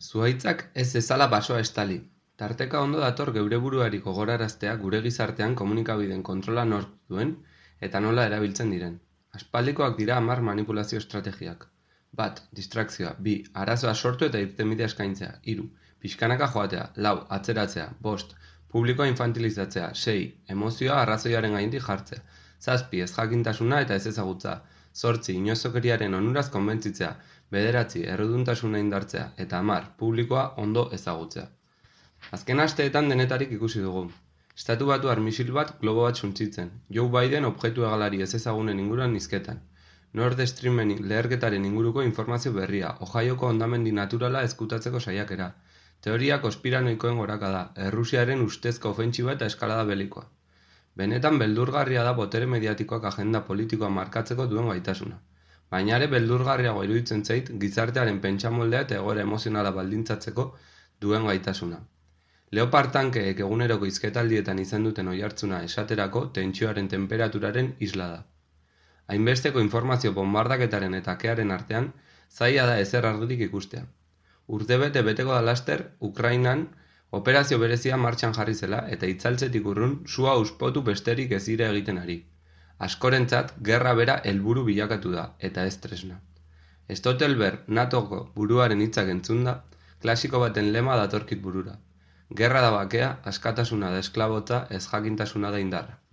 Zuhaitzak ez ezala basoa estali. Tarteka ondo dator geure buruari gogoraraztea gure gizartean komunikabideen kontrola nork duen eta nola erabiltzen diren. Aspaldikoak dira 10 manipulazio estrategiak. 1. Distrakzioa. 2. Arazoa sortu eta irtenbidea eskaintzea. 3. Pixkanaka joatea. 4. Atzeratzea. 5. Publikoa infantilizatzea. 6. Emozioa arrazoiaren gainetik jartzea. 7. Ezjakintasuna eta ez ezagutza. 8. Inozokeriaren onuraz konbentzitzea. 9. Erruduntasuna indartzea. Eta 10. Publikoa ondo ezagutzea. Azken asteetan denetarik ikusi dugu. Estatu Batuar misil bat globo bat suntsitzen. Joe Biden objektu hegalari ez ezagunen inguruan hizketan. Nord Streamen leherketaren inguruko informazio berria. Ohioko hondamendi naturala ezkutatzeko saiakera. Teoria konspiranoikoen gorakada. Errusiaren ustezko ofentsiba eta eskalada belikoa. Benetan beldurgarria da botere mediatikoak agenda politikoa markatzeko duen gaitasuna. Baina ere beldurgarriago iruditzen zait gizartearen pentsamoldea eta egoera emozionala baldintzatzeko duen gaitasuna. Leopard tankeek eguneroko hizketaldietan izan duten oihartzuna esaterako tentsioaren temperaturaren isla da. Hainbesteko informazio bombardaketaren eta kearen artean, zaila da ezer argirik ikustea. Urtebete beteko da laster, Ukrainan operazio berezia martxan jarri zela eta itzaltzetik urrun sua uspotu besterik ez dira egiten ari. Askorentzat, gerra bera helburu bilakatu da, eta ez tresna. Stoltenberg NATOko buruaren hitzak entzunda, klasiko baten lema datorkit burura. Gerra da bakea, askatasuna da esklabotza, ez jakintasuna da indarra.